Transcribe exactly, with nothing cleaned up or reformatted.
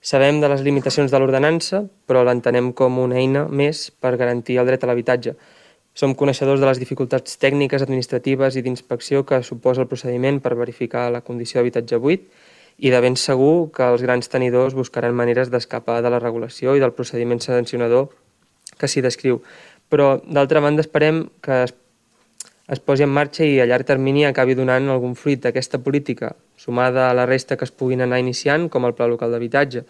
Sabem de les limitacions de l'ordenança, però l'entenem com una eina més per garantir el dret a l'habitatge. Som coneixedors de les dificultats tècniques, administratives i d'inspecció que suposa el procediment per verificar la condició d'habitatge buit i de ben segur que els grans tenidors buscaran maneres d'escapar de la regulació i del procediment sancionador que s'hi descriu. Però, d'altra banda, esperem que es, es posi en marxa i a llarg termini acabi donant algun fruit d'aquesta política, sumada a la resta que es puguin anar iniciant, com el Pla Local d'Habitatge.